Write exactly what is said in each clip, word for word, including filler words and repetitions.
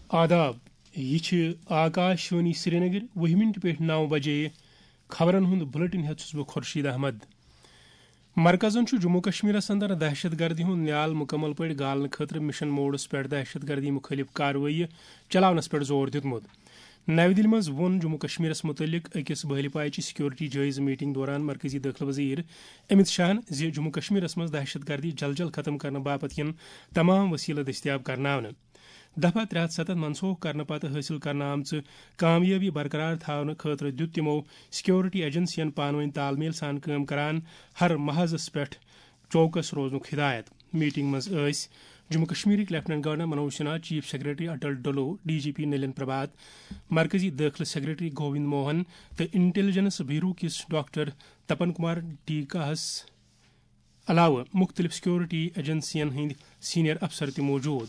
آداب، یہِ چھِ آکاش وانی سرینگر، وُہہِ مِنٹہِ پٮ۪ٹھ نَو بجے۔ خبرن ہُنٛد بُلٹن ہٮ۪تھ چھُس بہٕ خورشید احمد۔ مرکزن چھُ جموں کشمیرس اندر دہشت گردی ہُنٛد نیال مُکمل پٲٹھۍ گالنہٕ خٲطرٕ مشن موڈس پٮ۪ٹھ دہشت گردی مُخٲلف کاروٲیی چلاونس پٮ۪ٹھ زور دیُتمُت۔ نَوِ دِلہِ منٛز ووٚن جموں کشمیرس مُتعلق أکِس بہلہِ پایچہِ سیکورٹی جٲیزٕ میٹنگ دوران مرکزی دٲخلہٕ وزیر امت شاہن زِ جموں کشمیرس منٛز دہشت گردی جل جل ختم کرنہٕ باپتھ یِن تمام وسیلہٕ دٔستیاب کرناونہٕ۔ دفعہ ترٛےٚ ہتھ ستتھ منسوخ کرنہٕ پتہٕ حٲصِل کرنہٕ آمژٕ کامیٲبی برقرار تھاونہٕ خٲطرٕ دیُت تِمو سیکورٹی ایجنسین پانہٕ وٲنۍ تال میل سان کٲم کران ہر محاذس پٮ۪ٹھ چوکس روزنُک ہدایت۔ میٹنگ منٛز ٲسۍ جموں کشمیرٕکۍ lieutenant governor Manoj Sinha, chief secretary Atal Dulloo, D G P Nalin Prabhat, مرکزی دٲخلہٕ سیکرٹری گووند موہن تہٕ انٹیلیجنس بیورو کِس ڈاکٹر تپن کمار ڈی کاہس علاوٕ مُختٔلِف سیکورٹی ایجنسین ہٕنٛدۍ سینئر افسر تہِ موجود۔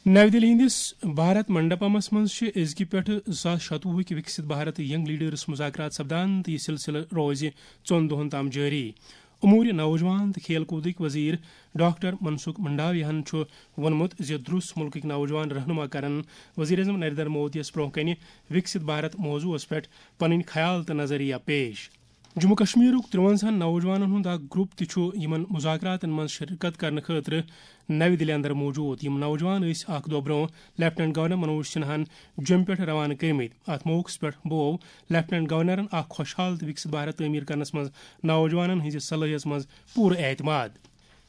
نَوِ دِلہِ ہٕنٛدِس بھارت منڈپمس منٛز چھِ أزکہِ پٮ۪ٹھٕ زٕ ساس شتوُہٕکۍ وِکسِت بھارت ینگ لیڈرس مذاکرات سپدان تہٕ یہِ سلسلہٕ روزِ ژۄن دۄہَن تام جٲری۔ امور نوجوان تہٕ کھیل کوٗدٕکۍ وزیر ڈاکٹر منسکھ منڈاویاہن چھُ ووٚنمُت زِ درُس مُلکٕکۍ نوجوان رہنما کرن وزیر اعظم نریندر مودیَس برٛونٛہہ کنہِ وِکسِت بھارت موضوعس پٮ۪ٹھ پنٕنۍ خیال تہٕ نظریہ پیش۔ جموں کشمیرُک ترٛوَنزاہن نوجوانن ہُنٛد اکھ گروپ تہِ چھُ یِمن مذاکراتن منٛز شرکت کرنہٕ خٲطرٕ نَوِ دِلہِ اندر موجود۔ یِم نوجوان ٲسۍ اکھ دۄہ برٛونٛہہ لیفٹیننٹ گورنر منوج سنہاہن جوٚمہِ پٮ۪ٹھ روانہٕ کٔرمٕتۍ۔ اتھ موقعس پٮ۪ٹھ بوو لیفٹیننٹ گورنرن اکھ خۄشحال تہٕ وِکسِت بھارت تعمیٖر کرنس منٛز نوجوانن ہٕنٛزِ صلٲحیژ منٛز پوٗرٕ اعتماد۔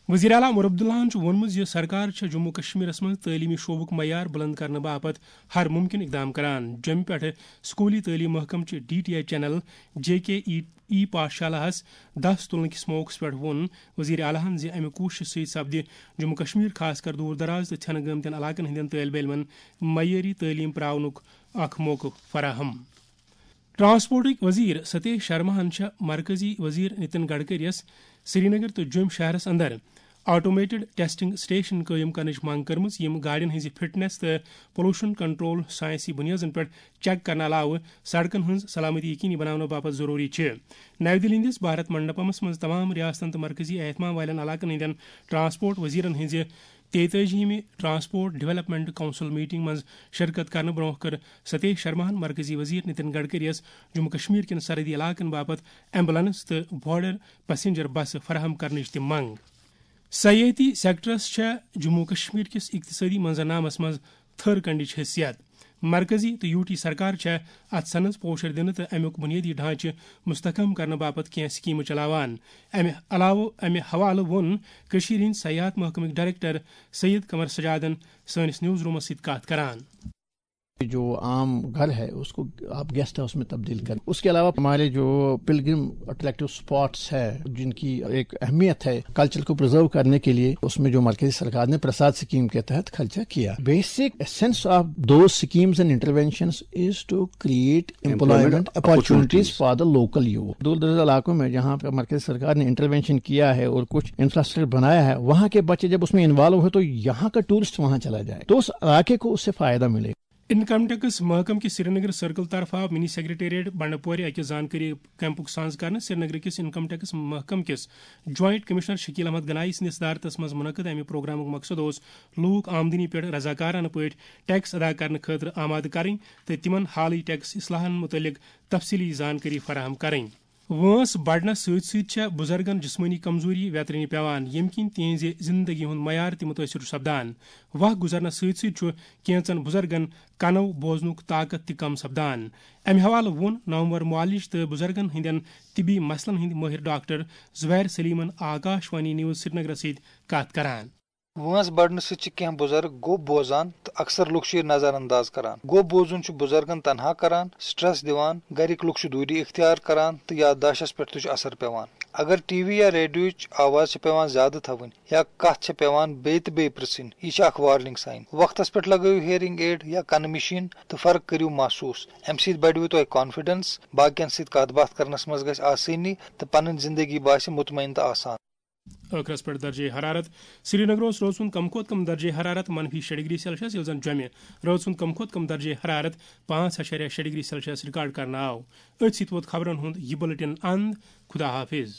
وزیر اعلیٰ عمر عبداللہن چھُ ووٚنمُت زِ سرکار چھےٚ جموں کشمیرس منٛز تعلیمی شعبُک معیار بلند کرنہٕ باپتھ ہر ممکن اقدام کران۔ جوٚمہِ پٮ۪ٹھٕ سکوٗلی تعلیٖم محکمہٕ چہِ D T H channel J K E E پاٹھشالاہس دس تُلنہٕ کِس موقعس پٮ۪ٹھ ووٚن وزیر اعلیٰ ہن زِ امہِ کوٗششہِ سۭتۍ سپدِ جموں کشمیر، خاص کر دوٗر دراز تہٕ ژھٮ۪نہٕ گٲمتٮ۪ن علاقن ہٕنٛدٮ۪ن طٲلبہِ علمن معیٲری تعلیٖم پراونُک اکھ موقعہٕ فراہم۔ ٹرانسپورٹٕکۍ وزیر ستیش شرماہن چھےٚ مرکزی وزیر نتن گڈکریَس سرینگر تہٕ جوٚم شہرس اندر آٹومیٹڈ ٹیسٹنگ سٹیشن قٲیِم کرنٕچ منٛگ کٔرمٕژ، یِم گاڑٮ۪ن ہٕنٛزِ فٹنس تہٕ پولوشن کنٹرول ساینسی بُنیادن پٮ۪ٹھ چیک کرنہٕ علاوٕ سڑکن ہٕنٛز سلامتی یقینی بناونہٕ باپتھ ضروٗری چھِ۔ نَوِ دِلہِ ہٕنٛدِس بھارت منڈپمس منٛز تمام ریاستن تہٕ مرکزی اہتمام والٮ۪ن علاقن ہٕنٛدٮ۪ن ٹرانسپورٹ وزیرن ہٕنٛزِ تیتٲجیہمہِ ٹرانسپورٹ ڈیولپمنٹ کونسل میٹنگ منٛز شرکت کرنہٕ برٛونٛہہ کٔر ستیش شرماہن مرکزی وزیر نتن گڈکریَس جموں کشمیر کٮ۪ن سرحدی علاقن باپتھ ایمبولینس تہٕ بارڈر پیسنجر بسہٕ فراہم کرنٕچ تہِ منٛگ۔ سیٲحتی سیکٹرس چھےٚ جموں کشمیر کِس اقتصٲدی منظرنامس منٛز تھٔر کنڈٕچ حیثیت۔ مرکزی تہٕ یوٗ ٹی سرکار چھےٚ اتھ صنعتس پوشر دِنہٕ تہٕ امیُک بنیٲدی ڈھانچہٕ مستحکم کرنہٕ باپتھ کینٛہہ سکیمہٕ چلاوان۔ امہِ علاوٕ، امہِ حوالہٕ ووٚن کٔشیٖرِ ہٕنٛدۍ سیاحت محکمٕکۍ ڈائریکٹر سید قمر سجادن سٲنِس نیوز رومس سۭتۍ کتھ کران۔ جو عام گھر ہے، اس کو آپ گیسٹ ہاؤس میں تبدیل کریں۔ اس کے علاوہ ہمارے جو پلگرم اٹریکٹو اسپاٹس ہے، جن کی ایک اہمیت ہے کلچر کو پرزرو کرنے کے لیے، اس میں جو مرکزی سرکار نے پرساد سکیم کے تحت خرچہ کیا۔ Basic essence of those schemes and interventions is to create employment opportunities for the local youth۔ دور دراز علاقوں میں جہاں پہ مرکزی سرکار نے انٹروینشن کیا ہے اور کچھ انفراسٹرکچر بنایا ہے، وہاں کے بچے جب اس میں انوالو ہو تو یہاں کا ٹورسٹ وہاں چلا جائے تو اس علاقے کو اس سے فائدہ ملے۔ انکم ٹیکس محکمہٕ کِس سرینگر سرکل طرفہٕ آو منی سیکرٹریٹ بنڈپورِ اکہِ زانکٲری کیمپُک ساز کرنہٕ۔ سرینگرٕ کِس انکم ٹیکس محکمہٕ کِس جوائنٹ کمشنر شکیل احمد گنایی سٕنٛدِ صدارتس منٛز منعقد امہِ پروگرامُک مقصد اوس لوٗکھ آمدنی پٮ۪ٹھ رضاکارانہٕ پٲٹھۍ ٹیکس ادا کرنہٕ خٲطرٕ آمادٕ کرٕنۍ تہٕ تِمن حالٕے ٹیکس اصلاحن مُتعلق تفصیٖلی زانکٲری فراہم کرٕنۍ۔ وٲنٛس بڑنس سۭتۍ سۭتۍ چھےٚ بُزرگن جسمٲنی کمزوری ویترِنہِ پٮ۪وان، ییٚمہِ کِنۍ تِہنٛزِ زِندگی ہُنٛد معیار تہِ مُتٲثِر چھُ سپدان۔ واہ گُزرنس سۭتۍ سۭتۍ چھُ کینٛژن بُزرگن کنو بوزنُک طاقت تہِ کم سپدان۔ امہِ حوالہٕ ووٚن نامور معالج تہٕ بُزرگن ہٕنٛدٮ۪ن طبی مسلن ہٕنٛدۍ مٲہِر ڈاکٹر زبیر سلیمن آکاش وانی نیوز سرینگرس سۭتۍ کتھ کران۔ وٲنٛس بڑنہٕ سۭتۍ چھِ کینٛہہ بُزرگ گوٚب بوزان تہٕ اکثر لُکھ چھِ یہِ نظر انداز کران۔ گوٚب بوزُن چھُ بُزرگن تنہا کران، سٹریس دِوان، گرِکۍ لُکھ چھِ دوٗری اختیار کران تہٕ یادداشتس پٮ۪ٹھ تہِ چھُ اثر پٮ۪وان۔ اگر ٹی وی یا ریڈیوٕچ آواز چھِ پٮ۪وان زیادٕ تھاوٕنۍ یا کتھ چھِ پٮ۪وان بیٚیہِ تہٕ بیٚیہِ پرژھٕنۍ، یہِ چھِ اکھ وارننگ سائن۔ وقتس پٮ۪ٹھ لگٲیِو ہیئرنگ ایڈ یا کنہٕ مشین تہٕ فرق کٔرِو محسوس۔ امہِ سۭتۍ بڑِوٕ تۄہہِ کانفیڈنس، باقین سۭتۍ کتھ باتھ کرنس منٛز گژھِ آسٲنی تہٕ پنٕنۍ زندگی باسہِ مطمئن تہٕ آسان۔ ٲخرس پٮ۪ٹھ درجے حرارت۔ سرینگر اوس رٲژ ہُنٛد کم کھۄتہٕ کم درجے حرارت منفی شےٚ ڈگری سیلسیس، ییٚلہِ زن جوٚمہِ رٲژ ہُنٛد کم کھۄتہٕ کم درجے حرارت پانٛژھ اَشاریہ شےٚ ڈگری سیلسیس ریکارڈ کرنہٕ آو۔ أتھۍ سۭتۍ ووت خبرن ہُنٛد یہِ بُلٹن اند۔ خدا حافظ۔